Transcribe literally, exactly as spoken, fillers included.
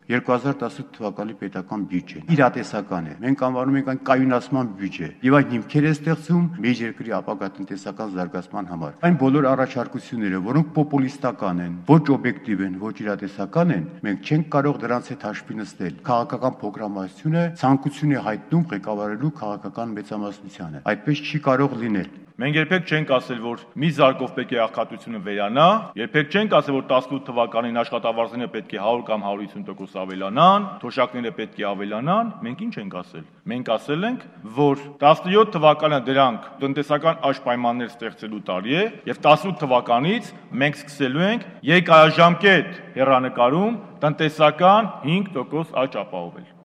երկու հազար տասութ թվականի պետական բյուջեն իրատեսական է, մենք անվանում ենք այն կայունացման բյուջե, եւ այն հիմքեր է ստեղծում մեր երկրի ապագա տնտեսական զարգացման համար։ Այն բոլոր առաջարկությունները, որոնք պոպուլիստական են, ոչ օբյեկտիվ են, ոչ իրատեսական են, մենք չենք կարող դրանց հետ հաշվի նստել։ Քաղաքական փոքրամասնությունը ցանկություն է հայտնում ղեկավարելու քաղաքական մեծամասնությանը։ Այդպես չի կարող լինել։ Մենք երբեք չենք ասել, որ մի զարկով պետք է աղքատությունը վերանա, երբեք չենք ասել, որ տասնութ թվականին աշխատավարձները պետք է հարյուր կամ հարյուր հիսուն տոկոս ավելանան, թոշակները պետք է ավելանան, մենք ինչ ենք ասել։ Մենք ասել ենք, որ տասնյոթ թվականը դրանք տնտեսական աճ պայմաններ ստեղծելու տարի է, եւ տասնութ թվականից մենք սկսելու ենք երկարաժամկետ հեռանկարում տնտեսական հինգ տոկոս աճ ապահովել։